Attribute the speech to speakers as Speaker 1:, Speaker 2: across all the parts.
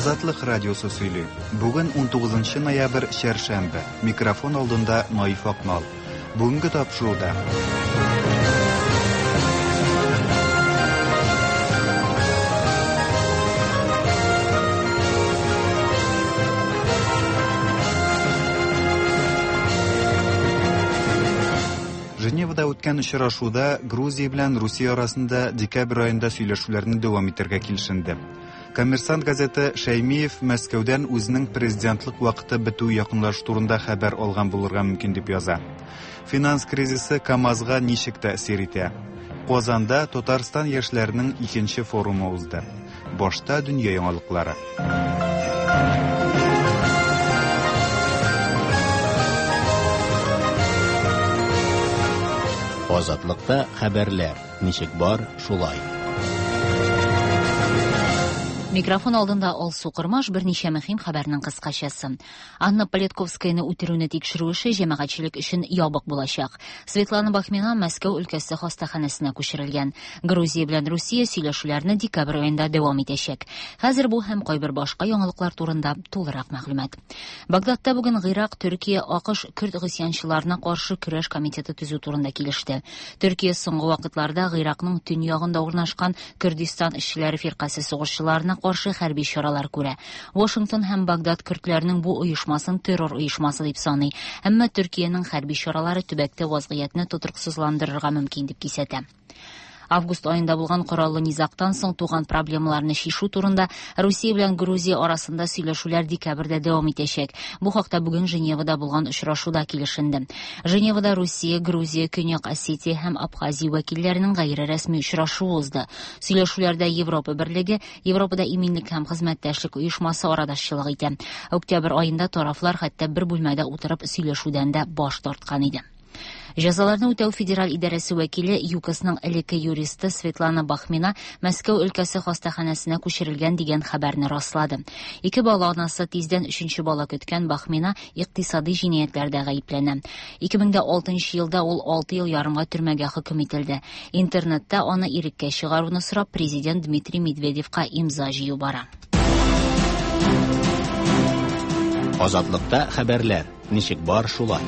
Speaker 1: Азатлык радиосы сөйли. Бүген 19 ноябрь, чәршәмбе. Микрофон алдында Наиф Акмал. Бүгенге тапшыруда. Женевада үткән очрашуда Грузия белән Русия арасында декабрь аенда сөйләшүләрне дәвам итәргә килешенде. Коммерсант газеты Шәймиев Мәскәүдән үзенең президентлык вакыты бетү якынлашу турында хәбәр алган булырга мөмкин дип яза. Финанс кризисы КАМАЗга ничек тәэсир итә? Казанда Татарстан яшьләренең икенче форумы узды. Башта дөнья яңалыклары.
Speaker 2: Азатлыкта хәбәрләр ничек бар, шулай.
Speaker 3: Микрофон алдында Алсу Кормаш берничә мөһим хәбәрнең кыскачасы. Анна Политковскаяны үтерүне тикшерү эше җәмәгатьчелек өчен ябык булачак. Светлана Бахмина Мәскәү өлкәсе хастаханәсенә күчерелгән. Грузия белән Русия сөйләшүләрне декабрь аенда дәвам итәчәк. Хәзер бу һәм кайбер башка яңалыклар турында тулырак мәгълүмат. Багдадта бүген Гыйрак, Төркия, АКШ көрд гыйсьянчыларына каршы көрәш комитеты төзү турында килеште. Төркия соңгы вакытларда Гыйракның төньягында урнашкан Көрдистан эшчеләре фиркасе сугышчыларына каршы хәрби чаралар күрә. Вашингтон һәм Багдад көрдләрнең бу оешмасын террор оешмасы дип саный. Әмма Төркиянең хәрби чаралары төбәктә вазгыятьне тотрыксызландырырга мөмкин дип кисәтә. Август аенда булган кораллы низагтан соң туган проблемаларны чишү турында Русия белән Грузия арасында сөйләшүләр декабрьдә дәвам итәчәк. Бу хакта бүген Женевада булган очрашуда килешенде. Женевада Русия, Грузия, Көньяк Осетия һәм Абхазия вәкилләренең гайре рәсми очрашуы узды. Сөйләшүләрдә Европа берлеге, Европада иминлек һәм хезмәттәшлек оешмасы арадашчылык итә. Октябрь аенда тарафлар хәтта бер бүлмәдә утырып сөйләшүдән дә баш тарткан иде. Җәзаларны үтәү федераль идарәсе вәкиле ЮКОСның элекке юристы Светлана Бахмина Мәскәү өлкәсе хастаханәсенә күчерелгән дигән хәбәрне раслады. Ике бала анасы тиздән өченче бала көткән Бахмина икътисади җинаятьләрдә гаепләнә. 2006 елда ул 6 ел ярымга төрмәгә хөкем ителде. Интернетта аны иреккә чыгаруны сорап президент Дмитрий Медведевка имза җыю бара.
Speaker 2: Азатлыкта хәбәрләр ничек бар, шулай.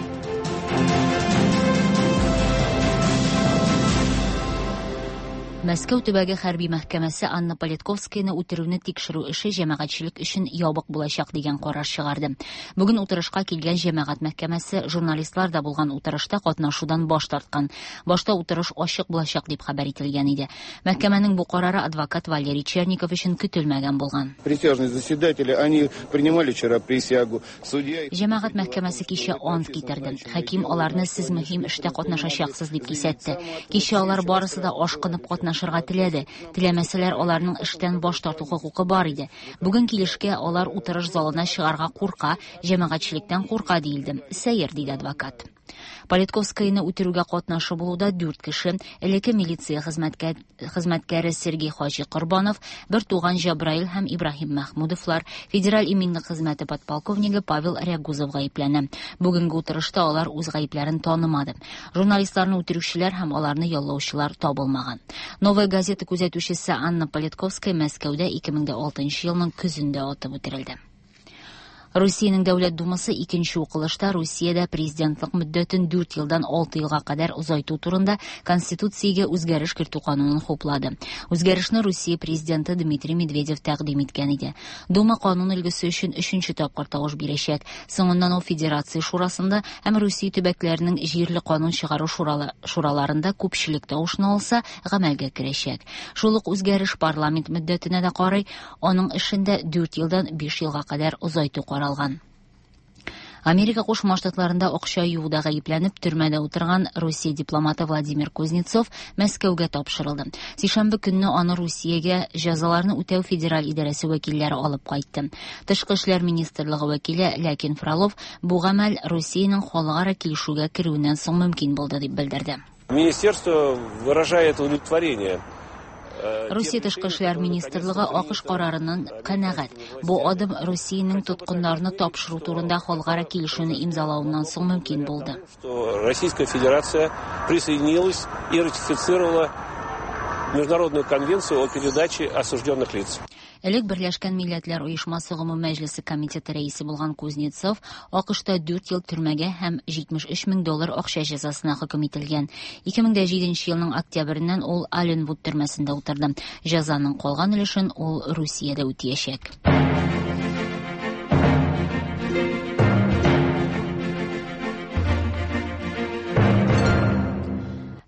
Speaker 3: Мәскәү төбәге хәрби мәхкәмәсе Анна Политковскаяны үтерүне тикшерү эше җәмәгатьчелек өчен ябык булачак дигән карар чыгарды. Бүген утырышка килгән җәмәгать мәхкәмәсе журналистлар да булган утырышта катнашудан баш тарткан. Башта утырыш ачык булачак дип хәбәр ителгән иде. Мәхкәмәнең бу карары адвокат Валерий Черников өчен көтелмәгән булган.
Speaker 4: Присяжные заседатели, они принимали вчера присягу. Судья...
Speaker 3: Җәмәгать мәхкәмәсе кичә ант китерде. Хаким аларны сез мөһим эштә катнашачаксыз дип кисәтте. Кичә алар барысы да ашкынып катнашырга теләде. Теләмәсәләр, аларның эштән баш тарту хокукы бар иде. Бүген килешкә алар утырыш залына чыгарга курка, җәмәгатьчелектән курка диелде. Сәер, диде адвокат. Политковскаяны үтерүгә катнашы булуда 4 кеше, элекке милиция хезмәткәре Сергей Хаҗи Корбанов, бер туган Җабраил һәм Ибраһим Мәхмүдовлар, федераль иминлек хезмәте подполковнигы Павел Рягузов гаепләнә. Бүгенге утырышта алар үз гаепләрен танымады. Журналистларны үтерүчеләр һәм аларны яллаучылар табылмаган. Новая газета күзәтүчесе Анна Политковская Мәскәүдә 2006 елның көзендә атып үтерелде. Русиянең Дәүләт Думасы икенче укылышта Русиядә президентлык мөддәтен 4 елдан 6 елга кадәр озайту турында Конституциягә үзгәреш кертү канунын хуплады. Үзгәрешне Русия президенты Дмитрий Медведев тәкъдим иткән иде. Дума канун өлгесе өчен өченче тапкыр тавыш бирәчәк. Соңыннан ул Федерация шурасында һәм Русия төбәкләренең җирле канун чыгару шураларында күпчелек тавышны алса, гамәлгә керәчәк. Шул ук үзгәреш парламент мөддәтенә дә карый, аның эшендә 4 елдан 5 елга кадәр озайту каралган. Америка Кушма Штатларында акча юуда гаепләнеп төрмәдә утырган Русия дипломаты Владимир Кузнецов Мәскәүгә тапшырылды. Сишәмбе көнне аны Русиягә җәзаларны үтәү федераль идарәсе вәкилләре алып кайтты. Тышкы эшләр министрлыгы вәкиле Ләкин Фролов бу гамәл Русиянең халыкара килешүгә керүеннән соң мөмкин булды дип белдерде.
Speaker 5: Министерство выражает удовлетворение.
Speaker 3: Русия тышкы эшләр министрлыгы АКШ карарыннан канәгать. Бу адым Русиянең тоткыннарны тапшыру турында халыкара килешүне имзалавыннан соң мөмкин булды.
Speaker 5: Что Российская Федерация присоединилась и ратифицировала Международную конвенцию о передаче осужденных лиц.
Speaker 3: Элек Берләшкән Милләтләр Оешмасы Гомум Мәҗлесе комитеты рәисе булган Кузнецов АКШта 4 ел төрмәгә һәм 73 мең доллар акча җәзасына хөкем ителгән. 2007 елның октябреннән ул Алленвуд төрмәсендә утырды. Җәзаның калган өлешен ул Русиядә үтиячәк.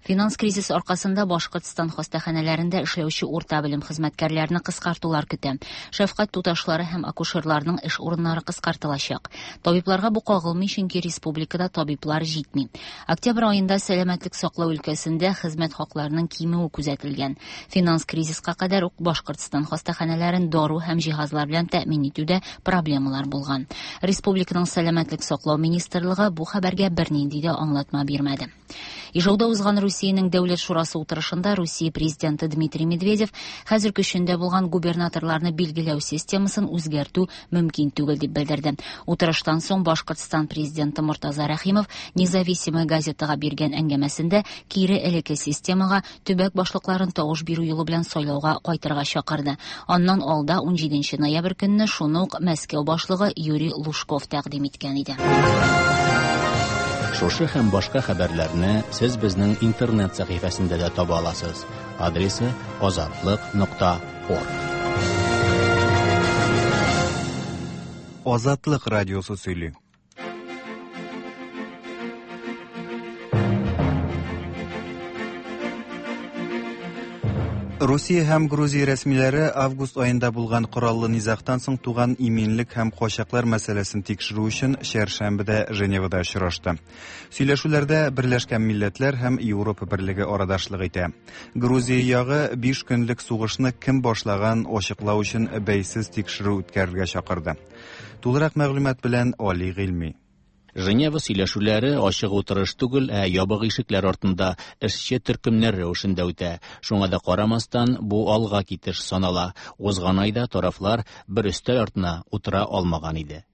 Speaker 3: Финанс кризисы аркасында Башкортстан хастаханәләрендә эшләүче урта белем хезмәткәрләрне кыскартулар көтә. Шәфкать туташлары һәм акушерларның эш урыннары кыскартылачак. Табибларга бу кагылмый, чөнки республикада табиблар җитми. Октябрь аенда сәламәтлек саклау өлкәсендә хезмәт хакларының кимүе күзәтелгән. Финанс кризиска кадәр үк Башкортстан хастаханәләрен дару һәм җиһазлар белән тәэмин итүдә проблемалар булган. Республиканың сәламәтлек саклау министрлыгы бу хәбәргә бернинди дә аңлатма бирмәде. Ижауда узган Русиянең Дәүләт шурасы утырышында Русия президенты Дмитрий Медведев хәзер көчендә булган губернаторларны билгеләү системасын үзгәртү мөмкин түгел дип белдерде. Утырыштан соң Башкортстан президенты Мортаза Рәхимов Независимая газетага биргән әңгәмәсендә кире элекке системага төбәк башлыкларын тавыш бирү юлы белән сайлауга кайтырга чакырды. Аннан алда 17 ноябрь көнне шуны ук Мәскәү башлыгы Юрий Лужков тәкъдим иткән иде.
Speaker 2: Шушы һәм башка хәбәрләрне сез безнең интернет сәхифәсендә дә таба аласыз. Адресы azatliq.org.
Speaker 1: Азатлык радиосы сөйли. Русия һәм Грузия рәсмиләре август аенда булган кораллы низагтан соң туган иминлек һәм качаклар мәсьәләсен тикшерү өчен чәршәмбедә Женевада очрашты. Сөйләшүләрдә Берләшкән Милләтләр һәм Европа Берлеге арадашлык итә. Грузия ягы 5 көнлек сугышны кем башлаган ачыклау өчен бәйсез тикшерү үткәрергә чакырды. Тулырак мәгълүмат белән Али Гыйльми.
Speaker 2: Женева сөйләшүләре ачык утырыш түгел, ә ябык ишекләр артында эшче төркемнәр рәвешендә үтә. Шуңа да карамастан, бу алга китеш санала. Узган айда тарафлар бер өстәл артына утыра алмаган иде.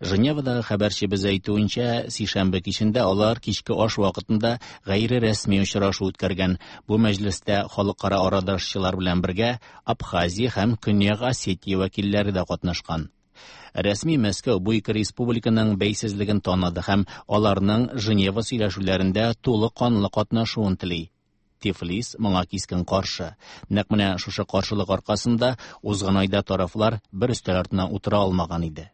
Speaker 2: Женевадагы хәбәрчебез әйтүенчә, сишәмбе кичендә алар кичке аш вакытында гайре рәсми очрашу үткәргән. Бу мәҗлестә халыкара арадашчылар белән бергә Абхазия һәм Көньяк Осетия вәкилләре дә катнашкан. Рәсми Мәскәү бу ике республиканың бәйсезлеген таныды һәм аларның Женева сөйләшүләрендә тулы канлы катнашуын тели. Тифлис моңа кискен каршы. Нәкъ менә шушы каршылык аркасында узган айда тарафлар бер өстәл артына утыра алмаган иде.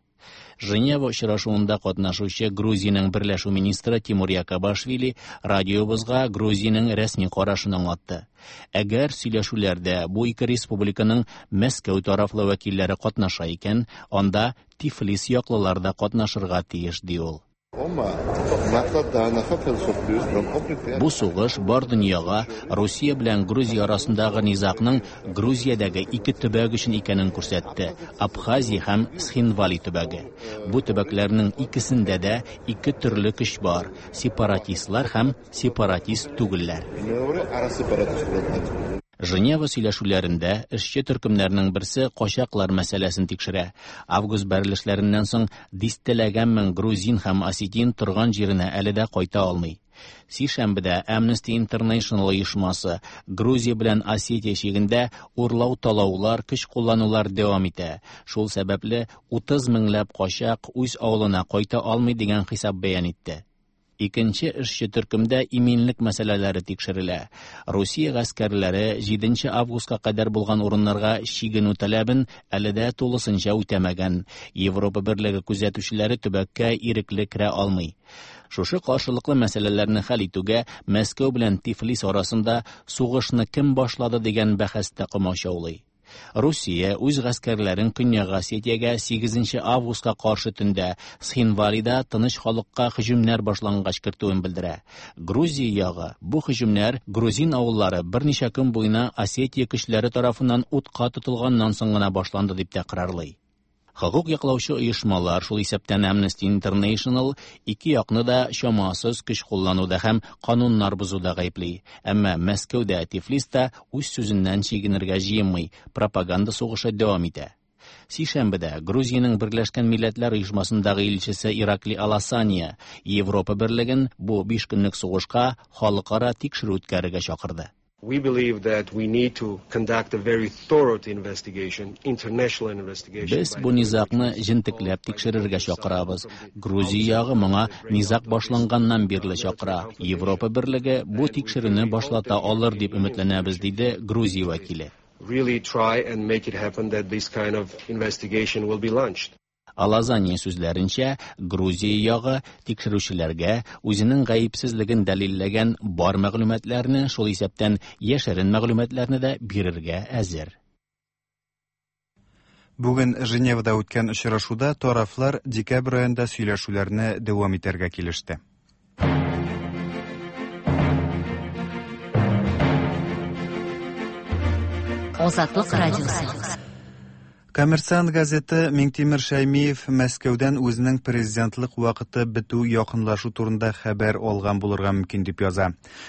Speaker 2: Женева очрашуында катнашучы Грузиянең берләшү министры Тимур Якобашвили радиобызга Грузиянең рәсми карашын аңлатты. Әгәр сөйләшүләрдә бу ике республиканың Мәскәү тарафлы вәкилләре катнаша икән, анда Тифлис яклылар да катнашырга тиеш, ди ул. Бу сугыш бар дөньяга Русия белән Грузия арасындагы низагның Грузиядәге ике төбәк өчен икәнен күрсәтте: Абхазия һәм Схинвали төбәге. Бу төбәкләрнең икесендә дә ике төрле көч бар: сепаратистлар һәм сепаратист түгелләр. Женева сөйләшүләрендә эшче төркемнәрнең берсе качаклар мәсьәләсен тикшерә. Август бәрелешләреннән соң дистәләгән мең грузин һәм осетин торган җиренә әле дә кайта алмый. Сишәмбедә Amnesty International оешмасы Грузия белән Осетия чигендә урлау-талаулар, көч кулланулар дәвам итә. Шул сәбәпле 30 меңләп качак үз авылына кайта алмый дигән хисап бәян итте. Икенче эшче төркемдә иминлек мәсьәләләре тикшерелә. Русия гаскәрләре 7 августка кадәр булган урыннарга чигенү таләбен әле дә тулысынча үтәмәгән. Европа Берлеге күзәтүчеләре төбәккә ирекле керә алмый. Шушы каршылыклы мәсьәләләрне хәл итүгә Мәскәү белән Тифлис арасында сугышны кем башлады дигән бәхәс тә комачаулый. Русия үз гаскәрләрен Көньяк Осетиягә 8 августка каршы төндә Схинвалида тыныч халыкка һөҗүмнәр башлангач кертүен белдерә. Грузия ягы бу һөҗүмнәр грузин авыллары берничә көн буена Осетия көчләре тарафыннан утка тотылганнан соң гына башланды дип тәкрарлый. Хокук яклаучы оешмалар, шул исәптән Amnesty International, ике якны да чамасыз көч куллануда һәм кануннар бозуда гаепли. Әмма Мәскәүдә, Тифлиста үз сүзеннән чигенергә җыенмый, пропаганда сугышы дәвам итә. Сишәмбедә Грузиянең Берләшкән Милләтләр Оешмасындагы илчесе Иракли Аласания Европа Берлеген бу 5 көнлек сугышка халыкара тикшерү үткәрергә чакырды.
Speaker 6: We believe that we need to conduct a very thorough investigation, international investigation.
Speaker 2: Без бу низагны җентекләп тикшерергә чакырабыз. Грузия ягы моңа низаг башланганнан бирле чакыра. Европа Берлеге бу тикшерүне башлата алыр дип өметләнәбез, диде Грузия вәкиле.
Speaker 6: Really try and make it happen that this kind of investigation will be launched.
Speaker 2: Алазания сүзләренчә, Грузия ягы тикшерүчеләргә үзенең гаепсезлеген дәлилләгән бар мәгълүматларны, шул исәптән яшерен мәгълүматларны да бирергә әзер.
Speaker 1: Бүген Женевада үткән очрашуда тарафлар декабрь аенда сөйләшүләрне дәвам итәргә килеште.
Speaker 3: Азатлык радиосы.
Speaker 1: Коммерсант газеты Миңтимер Шәймиев Мәскәүдән үзенең президентлык вакыты бетү якынлашу турында хәбәр алган булырга мөмкин дип яза.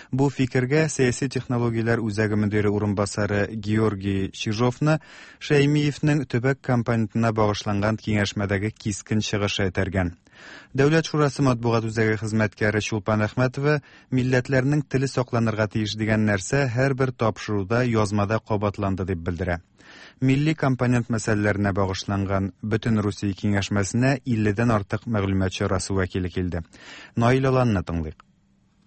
Speaker 1: Бу фикергә сәяси технологияләр үзәге мөдире урынбасары Георгий Чижовны Шәймиевнең төбәк компонентына багышланган киңәшмәдәге кискен чыгышы этәргән. Дәүләт шурасы матбугат үзәге хезмәткәре Чулпан Әхмәтова милләтләрнең теле сакланырга тиеш дигән нәрсә һәрбер тапшыруда язмада кабатланды дип белдерә. Милли компонент мәсьәләләренә багышланган Бөтен Русия киңәшмәсенә 50дән артык мәгълүмат чарасы вәкиле килде. Наил Аланны тыңлыйк.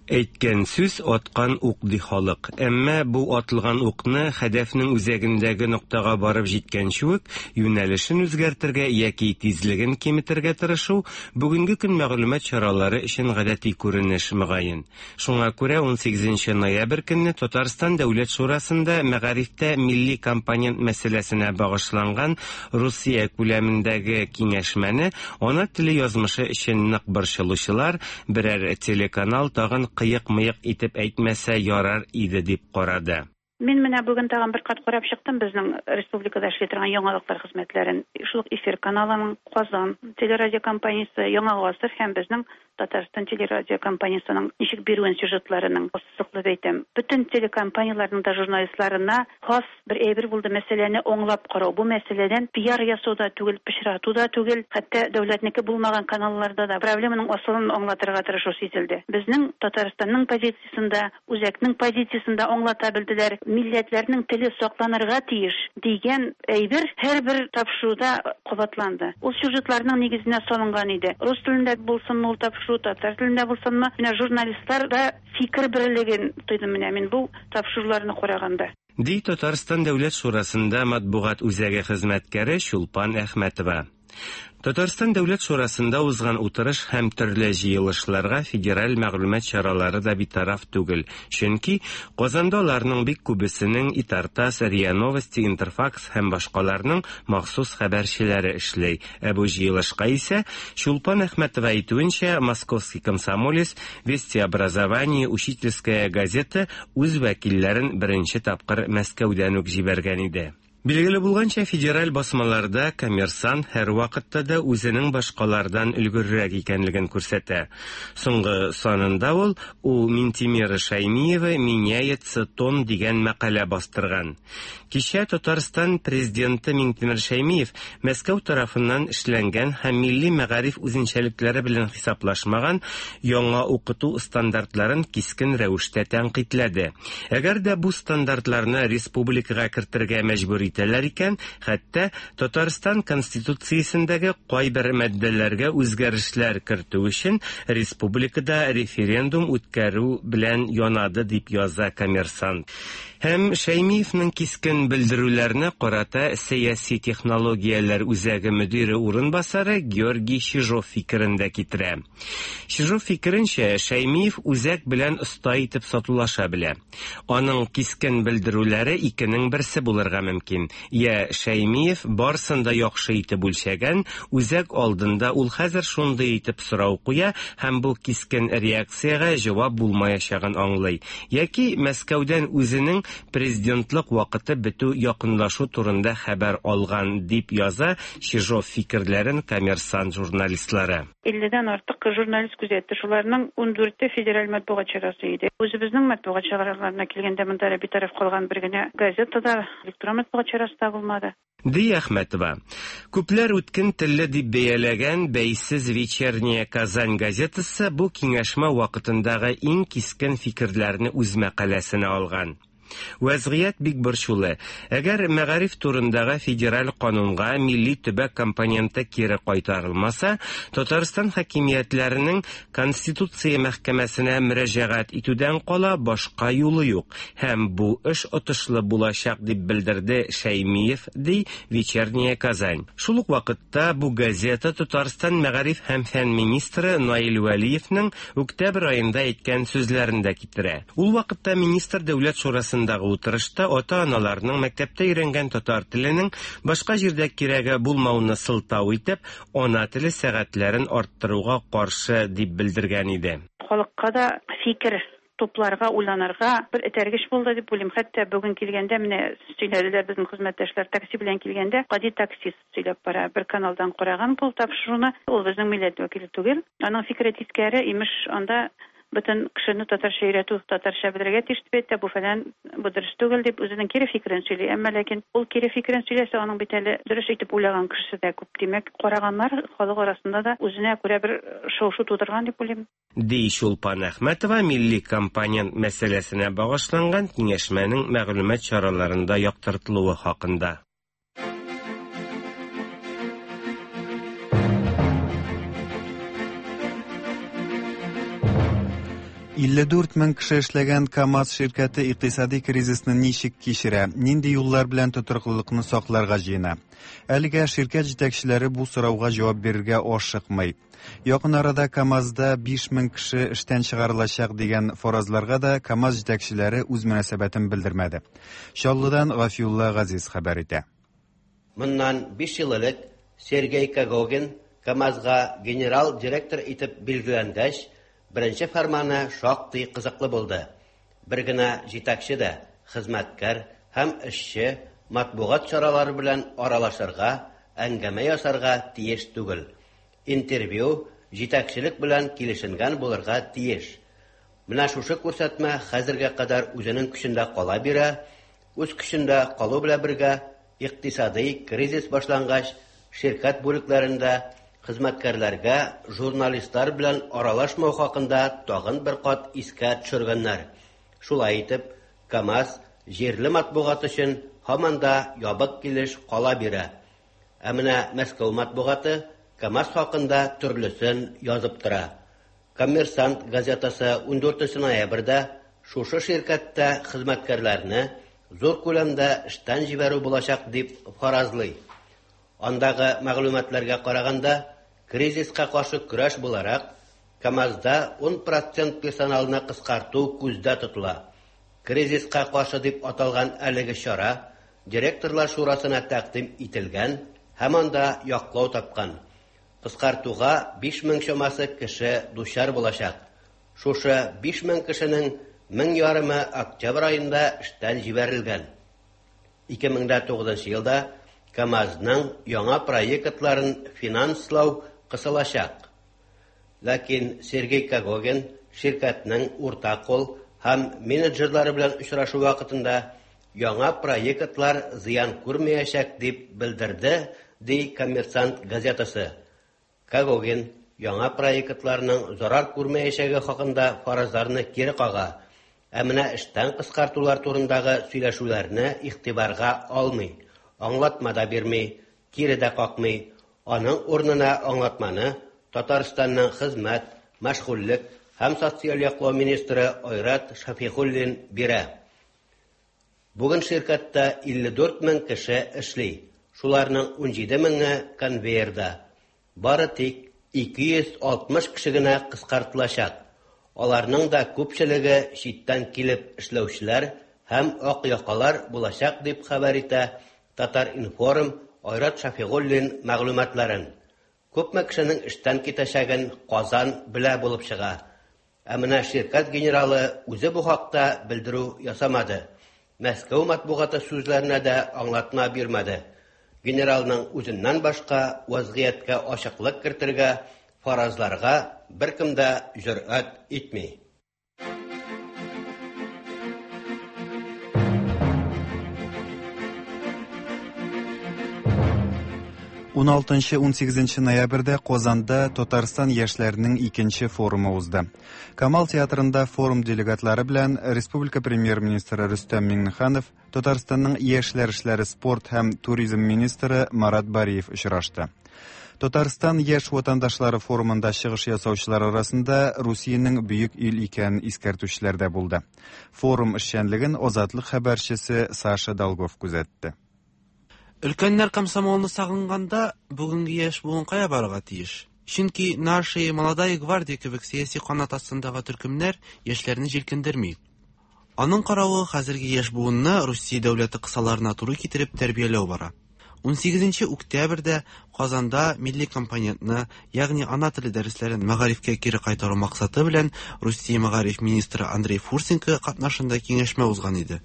Speaker 7: Әйткән сүз аткан ук ди халык. Әмма бу атылган укны хәдәфнең үзәгендәге ноктага барып җиткәнче үк юнәлешен үзгәртергә яки тизлеген киметергә тырышу бүгенге көн мәгълүмат чаралары өчен гадәти күренеш мөгаен. Шуңа күрә 18 ноябрь көнне Татарстан Дәүләт Шурасында мәгарифтә милли компонент мәсьәләсенә багышланган Русия күләмендәге киңәшмәне ана теле язмышы өчен нык борчылучылар берәр телеканал тагын кыек-мыек итеп әйтмәсә ярар иде дип карады.
Speaker 8: Мин менә бүген тагын бер кат карап чыктым безнең республикада эшли торган яңалыклар хезмәтләрен. Шул ук Эфир каналының, Казан телерадиокомпаниясе, Яңа гасыр һәм безнең Татарстан телерадиокомпаниясенең ничек бирүен сюжетларының ассызыклап әйтәм. Бөтен телекомпанияләрнең дә журналистларына хас бер әйбер булды мәсьәләне аңлап карау. Бу мәсьәләдән пиар ясау да түгел, пычрату да түгел, хәтта дәүләтнеке булмаган каналларда да проблеманың асылын аңлатырга тырышу сизелде. Безнең Татарстанның позициясендә, үзәкнең позициясендә аңлата белделәр. Милләтләрнең теле сакланырга тиеш дигән әйбер һәрбер тапшыруда кабатланды. Ул сюжетларның нигезенә салынган иде. Рус телендә булсынмы ул тапшыру, татар телендә булсынмы, менә журналистлар да фикер берлеген тойдым менә мин бу тапшыруларны караганда.
Speaker 7: Ди Татарстан Дәүләт Шурасында матбугат үзәге хезмәткәре Чулпан Әхмәтова. Татарстан Дәүләт Шурасында узган утырыш һәм төрле җыелышларга федераль мәгълүмат чаралары да битараф түгел. Чөнки Казанда аларның бик күбесенең Итартас, РИА Новости, Интерфакс һәм башкаларның махсус хәбәрчеләре эшли. Ә бу җыелышка исә Чулпан Әхмәтова әйтүенчә, Московский комсомолец, Вести образование, Учительская газета үз вәкилләрен беренче тапкыр Мәскәүдән үк җибәргән иде. Билгеле булганча, федераль басмаларда Коммерсант һәрвакытта да үзенең башкалардан өлгеррәк икәнлеген күрсәтә. Соңгы санында ул «У Минтимера Шаймиева меняется тон» дигән мәкалә бастырган. Кичә Татарстан президенты Минтимер Шаймиев Мәскәү тарафыннан эшләнгән һәм милли мәгариф үзенчәлекләре белән хисаплашмаган яңа укыту стандартларын кискен рәвештә тәнкыйтьләде. Әгәр дә бу стандартларны республикага кертергә мәҗбүр итәләр икән, хәтта Татарстан Конституциясендәге кайбер маддәләргә үзгәрешләр кертү өчен республикада референдум үткәрү белән янады дип яза Коммерсант. Һәм Шәймиевнең кискен белдерүләренә карата сәяси технологияләр үзәге мөдире урынбасары Георгий Чижов фикерен дә китерә. Чижов фикеренчә, Шәймиев үзәк белән оста итеп сатулаша белә. Аның кискен белдерүләре икенең берсе булырга мөмкин. Я Шәймиев барсын да яхшы итеп үлчәгән, үзәк алдында ул хәзер шундый итеп сорау куя һәм бу кискен реакциягә җавап булмаячагын аңлый. Яки Мәскәүдән үзенең президентлык вакыты бетү якынлашу турында хәбәр алган дип яза Чижов фикерләрен Коммерсант журналистлары.
Speaker 8: 50дән артык журналист күзәтте. Шуларның 14-е федераль матбугат чарасы иде. Үзебезнең матбугат чараларына килгәндә монда битараф калган бер генә газета да, электрон матбугат чарасы да булмады.
Speaker 7: Ди Әхмәтова. Күпләр үткен телле дип бәяләгән бәйсез Вечерняя Казань газетасы бу киңәшмә вакытындагы иң кискен фикерләрне үз мәкаләсенә алган. Вәзгыять бик борчулы. Әгәр мәгариф турындагы федераль канунга милли төбәк компоненты кире кайтарылмаса, Татарстан хакимиятләренең Конституция мәхкәмәсенә мөрәҗәгать итүдән кала башка юлы юк һәм бу эш отышлы булачак, дип белдерде Шәймиев, ди Вечерняя Казань. Шул ук вакытта бу газета Татарстан мәгариф һәм фән министры Наил Вәлиевнең октябрь аенда әйткән сүзләрен дә китерә. Ул вакытта министр Дәүләт шурасындагы утырышта ата-аналарның мәктәптә өйрәнгән татар теленең башка җирдә кирәге булмауны сылтау итеп, ана теле сәгатьләрен арттыруга каршы дип белдергән иде.
Speaker 8: Халыкка да фикер тупларга, уйланырга бер этәргеч булды дип уйлыйм. Хәтта бүген килгәндә, менә сөйләделәр безнең хезмәттәшләр, такси белән килгәндә, гади таксист сөйләп бара. Бер каналдан караган бу тапшыруны. Ул безнең милләт вәкиле түгел. Аның фикере тискәре, имеш, анда бөтен кешене татарча өйрәтү, татарча белергә тиеш дип әйтә, бу фәлән, бу дөрес түгел дип үзенең кире фикерен сөйли. Әмма ләкин ул кире фикерен сөйләсә, аның бит әле дөрес итеп уйлаган кешесе дә күп. Димәк, караганнар халык арасында да үзенә күрә бер шау-шу тудырган дип уйлыйм.
Speaker 7: Ди Чулпан Әхмәтова милли компонент мәсьәләсенә багышланган киңәшмәнең мәгълүмат чараларында яктыртылуы хакында.
Speaker 1: 54 мең кеше эшләгән КАМАЗ ширкәте икътисади кризисны ничек кичерә, нинди юллар белән тотрыклылыкны сакларга җыена? Әлегә ширкәт җитәкчеләре бу сорауга җавап бирергә ашыкмый. Якын арада КАМАЗда 5 мең кеше эштән чыгарылачак дигән фаразларга да КАМАЗ җитәкчеләре үз мөнәсәбәтен белдермәде. Чаллыдан Гафиулла Газиз хәбәр итә.
Speaker 9: Моннан 5 ел элек Сергей Когогин КАМАЗга генерал директор итеп билгеләнгәч, беренче фәрманы шактый кызыклы булды. Бер генә җитәкче дә, хезмәткәр һәм эшче матбугат чаралары белән аралашырга, әңгәмә ясарга тиеш түгел. Интервью җитәкчелек белән килешенгән булырга тиеш. Менә шушы күрсәтмә хәзергә кадәр үзенең көчендә кала бирә, үз көчендә калу белән бергә икътисадый кризис башлангач, ширкәт бүлекләрендә хезмәткәрләргә журналистлар белән аралашмау хакында тагын бер кат искә төшергәннәр. Шулай итеп, КАМАЗ җирле матбугат өчен һаман да ябык килеш кала бирә. Ә менә Мәскәү матбугаты КАМАЗ хакында төрлесен язып тора. Коммерсант газетасы 14 ноябрьдә шушы ширкәттә хезмәткәрләрне зур күләмдә эштән җибәрү булачак дип фаразлый. Андагы мәгълүматларга караганда, кризиска каршы көрәш буларак, КАМАЗда 10% персоналны кыскарту күздә тотыла. Кризиска каршы дип аталган әлеге чара директорлар шурасына тәкъдим ителгән һәм анда яклау тапкан. Кыскартуга 5000 чамасы кеше дучар булачак. Шушы 5000 кешенең 1500 октябрь аенда эштән җибәрелгән. 2009 елда КАМАЗның яңа проектларын финанслау кысылачак. Ләкин Сергей Когогин ширкәтнең урта кул һәм менеджерлары белән очрашу вакытында яңа проектлар зыян күрмәячәк дип белдерде, ди Коммерсант газетасы. Когогин яңа проектларның зарар күрмәячәге хакында фаразларны кире кага. Ә менә эштән кыскартулар турындагы сөйләшүләрне игътибарга алмый, аңлатма да бирми, кире дә какмый. Аның урынына аңлатманы Татарстанның хезмәт, мәшгульлек һәм социаль яклау министры Айрат Шафигуллин бирә. Бүген ширкәттә 54 мең кеше эшли. Шуларның 17 меңе конвейерда. Бары тик 260 кеше генә кыскартылачак. Аларның да күпчелеге читтән килеп эшләүчеләр һәм ак якалар булачак дип хәбәр итә Татар-информ Айрат Шафигуллин мәгълүматларын. Күпме кешенең эштән китәчәген Казан белә булып чыга. Ә менә ширкәт генералы үзе бу хакта белдерү ясамады. Мәскәү матбугаты сүзләренә дә аңлатма бирмәде. Генералның үзеннән башка вазгыятькә ачыклык кертергә, фаразларга беркем дә җөрьәт итми.
Speaker 1: 16-18 ноябрьдә Казанда Татарстан яшьләренең икенче форумы узды. Камал театрында форум делегатлары белән республика премьер-министры Рөстәм Миңнеханов, Татарстанның яшьләр эшләре, спорт һәм туризм министры Марат Бариев очрашты. Татарстан яшь ватандашлары форумында чыгыш ясаучылар арасында Русиянең бөек ил икәнен искәртүчеләр дә булды. Форум эшчәнлеген Азатлык хәбәрчесе Саша Долгов күзәтте.
Speaker 10: Өлкәннәр комсомолны сагынганда, бүгенге яшь буын кая барырга тиеш? Чөнки Наши, Молодая гвардия кебек сәяси канат астындагы төркемнәр яшьләрне җилкендерми. Аның каравы, хәзерге яшь буынны Русия дәүләте кысаларына туры китереп тәрбияләү бара. 18 октябрьдә Казанда милли компонентны, ягъни ана теле дәресләрен мәгарифкә кире кайтару максаты белән Русия мәгариф министры Андрей Фурсенко катнашында киңәшмә узган иде.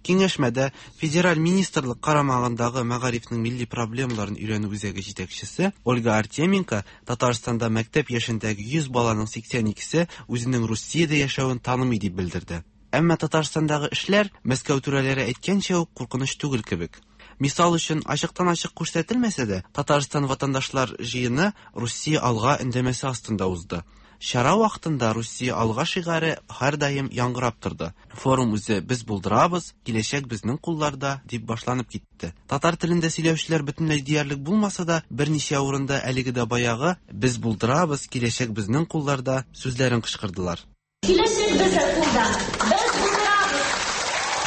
Speaker 10: Киңәшмәдә Федераль министрлык карамагындагы мәгарифнең милли проблемаларын өйрәнү үзәге җитәкчесе Ольга Артеменко Татарстанда мәктәп яшендәге 100 баланың 82-се үзенең Русиядә яшәвен танымый дип белдерде. Әмма Татарстандагы эшләр Мәскәү түрәләре әйткәнчә үк куркыныч түгел кебек. Мисал өчен, ачыктан-ачык күрсәтелмәсә дә, Татарстан ватандашлар җыены Русия алга өндәмәсе астында узды. Чара вакытында Русия алга шигаре һәрдаим яңгырап торды. Форум үзе Без булдырабыз, киләчәк безнең кулларда дип башланып китте. Татар телендә сөйләүчеләр бөтенләй диярлек булмаса да, берничә урында әлеге дә баягы Без булдырабыз, киләчәк безнең кулларда сүзләрен кычкырдылар.
Speaker 11: Киләчәк безнең кулда. Без булдырабыз.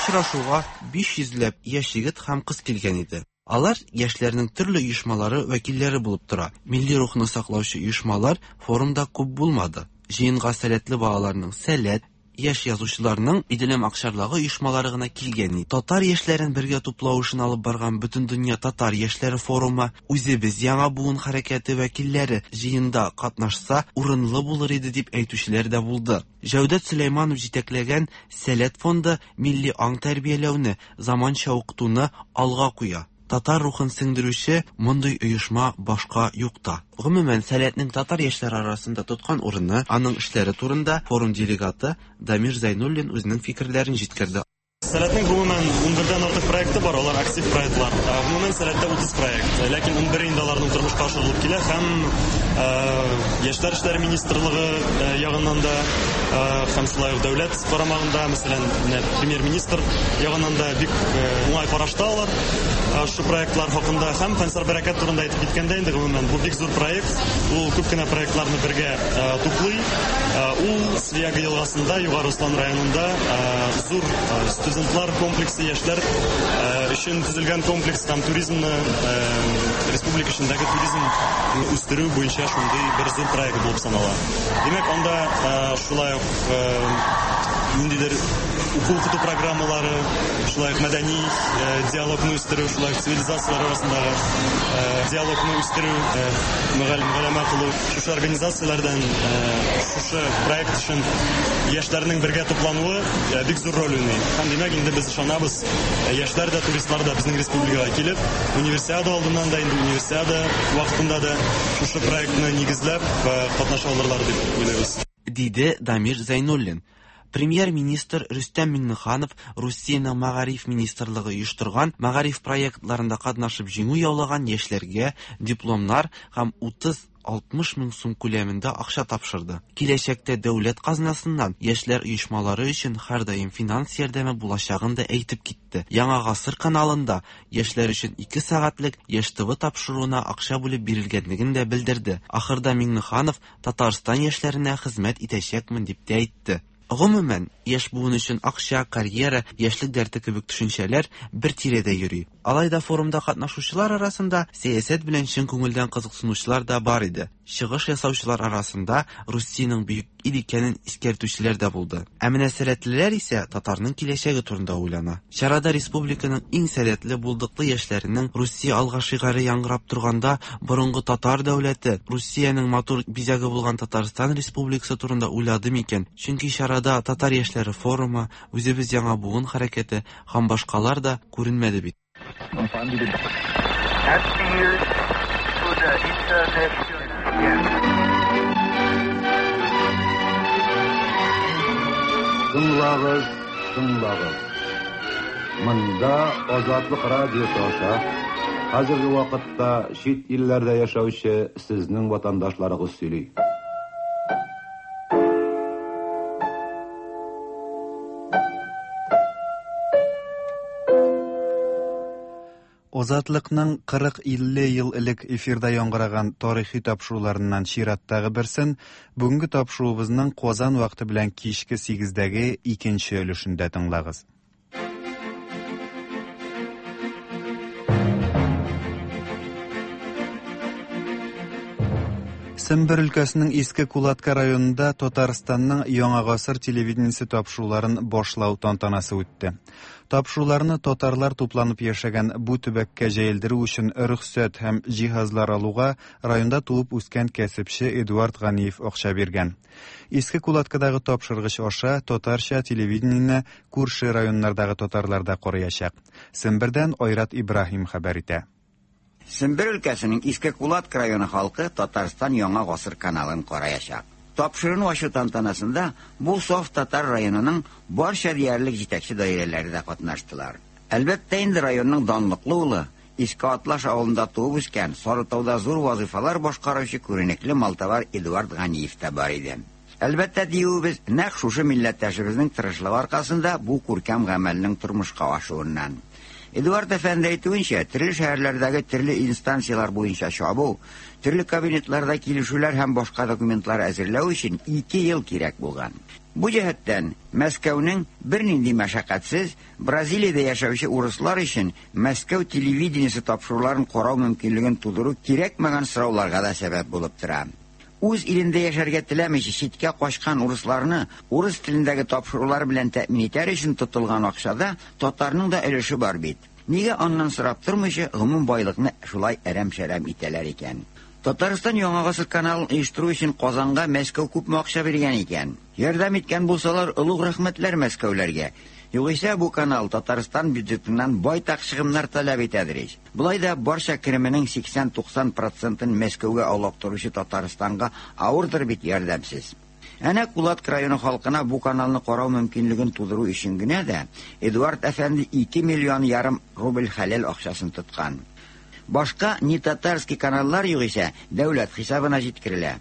Speaker 10: Очрашуга 500 ләп яшь егет һәм кыз килгән иде. Алар яшьләрнең төрле оешмалары вәкилләре булып тора. Милли рухны саклаучы оешмалар форумда күп булмады. Җыенга сәләтле балаларның Сәләт, яшь язучыларның Иделем акчарлагы оешмалары гына килгән. Татар яшьләрен бергә туплау эшен алып барган Бөтендөнья татар яшьләре форумы, Үзебез яңа буын хәрәкәте вәкилләре җыенда катнашса, урынлы булыр иде дип әйтүчеләр дә булды. Җәүдәт Сөләйманов җитәкләгән Сәләт фонды милли аң тәрбияләүне, заманча укытуны алга куя. Татар рухын сеңдерүче мондый оешма башка юк та. Гомумән, Сәләтнең татар яшьләре арасында тоткан урыны, аның эшләре турында форум делегаты Дамир Зәйнуллин үзенең фикерләрен җиткерде.
Speaker 12: Сәләтнең гомумән 11-дән артык проекты бар, алар актив проектлар. Гомумән Сәләттә 30 проект. Ләкин 11 инде аларның тормышка ашырылып килә һәм Яшьләр эшләре министрлыгы ягыннан да һәм шулай ук дәүләт карамагында, мәсәлән, менә премьер-министр ягыннан да бик уңай карашта алар шу проектлар хакында һәм Фәнсар Бәрәкәт турында әйтеп киткәндә инде гомумән бу бик зур проект. Ул күп кенә проектларны бергә туплый. Ул Свияга елгасында, Югары Ослан районында зур студентлар комплексы, яшьләр өчен төзелгән комплекс һәм туризмны республика эчендәге туризм үстерү буенча шундый бер зур проект булып санала. Димәк, анда шулай ук ниндидер уку-укыту программалары, шулай ук мәдәни диалогны үстерү, шулай ук цивилизацияләр арасындагы диалогны үстерү, мөгаләмә кылу, шушы организацияләрдән шушы проект өчен яшьләрнең бергә туплануы бик зур роль уйный. Һәм димәк, инде без ышанабыз, яшьләр дә, туристлар да безнең республикага килеп, универсиада алдыннан да, инде универсиада вакытында да шушы проектны нигезләп катнаша алырлар дип уйлыйбыз.
Speaker 10: Диде Дамир Зәйнуллин. Премьер-министр Рөстәм Миңнеханов Русиянең Мәгариф министрлыгы оештырган мәгариф проектларында катнашып җиңү яулаган яшьләргә дипломнар һәм 30-60 мең сум күләмендә акча тапшырды. Киләчәктә дәүләт казнасыннан яшьләр оешмалары өчен һәрдаим финанс ярдәме булачагын да әйтеп китте. Яңа гасыр каналында яшьләр өчен 2 сәгатьлек Яшь ТВ тапшыруына акча бүлеп бирелгәнлеген дә белдерде. Ахырда Миңнеханов Татарстан яшьләренә хезмәт итәчәкмен дип тә әйтте. Гомумән, яшь буын өчен акча, карьера, яшьлек дәрте кебек төшенчәләр бер тирәдә йөри. Алай да форумда катнашучылар арасында сәясәт белән чын күңелдән кызыксынучылар да бар иде. Чыгыш ясаучылар арасында Русиянең бөек ил икәнен искәртүчеләр дә булды. Ә менә сәләтлеләр исә татарның киләчәге турында уйлана. Чарада республиканың иң сәләтле, булдыклы яшьләренең Русия алга шигаре яңгырап торганда борынгы татар дәүләте, Русиянең матур бизәге булган Татарстан Республикасы турында уйлады микән? Чөнки чарада татар яшьләре форумы, Үзебез яңа буын хәрәкәте һәм башкалар да күренмәде бит.
Speaker 13: Тыңлагыз, тыңлагыз. Монда Азатлык радиосы аша Хәзерге вакытта чит илләрдә яшәүче сезнең ватандашларыгыз сөйли.
Speaker 1: Азатлыкның 40-50 ел элек эфирда яңгыраган тарихи тапшыруларыннан чираттагы берсен бүгенге тапшыруыбызның Казан вакыты белән кичке 8-дәге икенче өлешендә тыңлагыз. Сембер өлкәсенең Иске Кулатка районында Татарстанның Яңа гасыр телевидениесе тапшыруларын башлау тантанасы үтте. Тапшыруларны татарлар тупланып яшәгән бу төбәккә җәелдерү өчен рөхсәт һәм җиһазлар алуга районда туып үскән кәсепче Эдуард Ганиев акча биргән. Иске Кулаткадагы тапшыргыч аша татарча телевидениене күрше районнардагы татарлар да караячак. Сембердән Айрат Ибраһим хәбәр итә.
Speaker 14: Сембер өлкәсенең Иске Кулатка районы халкы Татарстан Яңа гасыр каналын караячак. Тапшыруны ачу тантанасында бу саф татар районының барча диярлек җитәкче даирәләре дә катнаштылар. Әлбәттә инде районның данлыклы улы, Иске Атлаш авылында туып үскән, Сарытауда зур вазыйфалар башкаручы күренекле малтабар Эдуард Ганиев та бар иде. Әлбәттә, диюебез, нәкъ шушы милләттәшебезнең тырышлыгы аркасында бу күркәм гамәлнең тормышка ашуыннан. Эдуард әфәнде әйтүенчә, төрле шәһәрләрдәге төрле инстанцияләр буенча чабу, төрле кабинетларда килешүләр һәм башка документлар әзерләү өчен 2 ел кирәк булган. Бу җәһәттән Мәскәүнең бернинди мәшәкатьсез Бразилиядә яшәүче урыслар өчен Мәскәү телевидениесе тапшыруларын карау мөмкинлеген тудыру кирәкмәгән сорауларга да сәбәп булып тора. Үз илендә яшәргә теләмичә читкә качкан урысларны урыс телендәге тапшырулар белән тәэмин итәр өчен тотылган акчада татарның да өлеше бар бит. Нигә аннан сорап тормыйча гомум байлыкны шулай әрәм-шәрәм итәләр икән? Татарстан Яңа гасыр каналын оештыру өчен Казанга Мәскәү күпме акча биргән икән? Ярдәм иткән булсалар, олуг рәхмәтләр мәскәүләргә. Югыйсә бу канал Татарстан бюджетыннан байтак чыгымнар таләп итәдер ич. Болай да барча кеременең 80-90 процентын Мәскәүгә олактыручы Татарстанга авырдыр бит ярдәмсез. Әнә Кулатка районы халкына бу каналны карау мөмкинлеген тудыру өчен генә дә Эдуард әфәнде 2 миллион ярым рубль хәләл акчасын тоткан. Башка не татарский каналлар югыйсә дәүләт хисабына җиткерелә.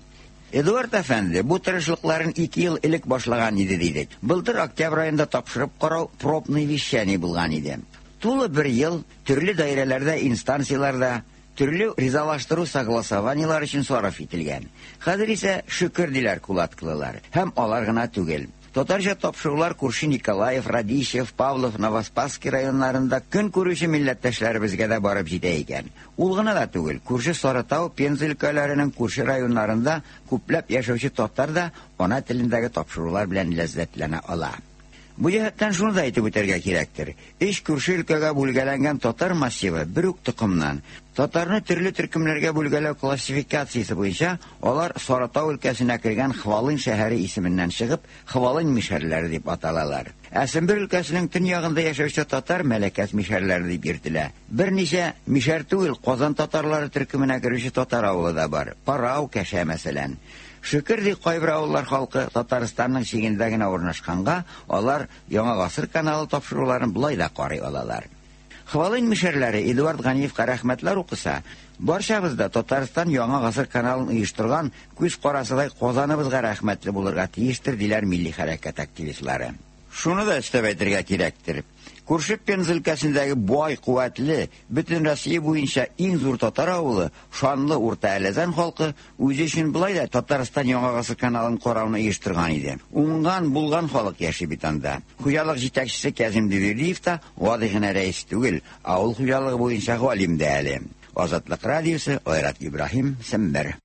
Speaker 14: Эдуард әфәнде бу тырышлыкларын 2 ел элек башлаган иде дидек. Былтыр октябрь аенда тапшырып карау пробный вещание булган иде. Тулы бер ел төрле даирәләрдә, инстанцияләрдә төрле ризалаштыру согласованиелар өчен сарыф ителгән. Хәзер исә шөкер диләр кулаткылылар. Һәм алар гына түгел. Татарча тапшырулар күрше Николаев, Радищев, Павлов, Новоспасский районнарында көн күрүче милләттәшләребезгә дә барып җитә икән. Ул гына да түгел, күрше Сарытау, Пенза өлкәләренең күрше районнарында күпләп яшәүче татар да ана телендәге тапшырулар белән ләззәтләнә ала. Бу җәһәттән шуны да әйтеп үтәргә кирәктер. Өч күрше өлкәгә бүлгәләнгән татар массивы бер үк токымнан. Татарны төрле төркемнәргә бүлгәләү классификациясе буенча алар Сарытау өлкәсенә кергән Хвалын шәһәре исеменнән чыгып, Хвалын мишәрләре дип аталалар. Ә Сембер өлкәсенең төньягында яшәүче татар Мәләкәс мишәрләре дип йөртелә. Берничә мишәр түгел, Казан татарлары төркеменә керүче татар авылы да бар. Парау, Кәшә мәсәлән. Шөкер ди кайбер авыллар халкы Татарстанның чигендә генә урнашканга, алар Яңа гасыр каналы тапшыруларын болай да карый алалар. Хвалын мишәрләре Эдуард Ганиевка рәхмәтләр укыса, барчабыз да Татарстан Яңа гасыр каналын оештырган күз карасыдай Казаныбызга рәхмәтле булырга тиештер, диләр милли хәрәкәт активистлары. Шуны да өстәп әйтергә кирәктер. Күрше Пенза өлкәсендәге бай, куәтле, бөтен Россия буенча иң зур татар авылы, шанлы Урта Әләзән халкы үзе өчен болай да Татарстан Яңа гасыр каналын карауны оештырган иде. Уңган, булган халык яши бит анда. Хуҗалык җитәкчесе Кязим Диверлиев та гади генә рәис түгел, авыл хуҗалыгы буенча галим дә әле. Азатлык радиосы, Айрат Ибраһим, Сембер.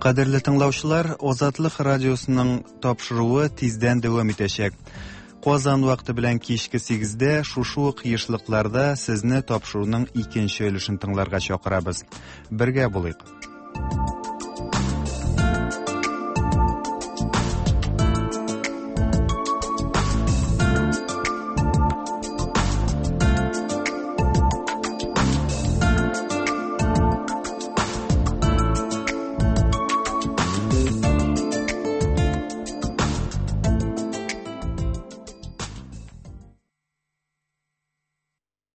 Speaker 1: Кадерле тыңлаучылар, Азатлык радиосының тапшыруы тиздән дәвам итәчәк. Казан вакыты белән кичке 8-дә шушы ук ешлыкларда сезне тапшыруның икенче өлешен тыңларга чакырабыз. Бергә булыйк.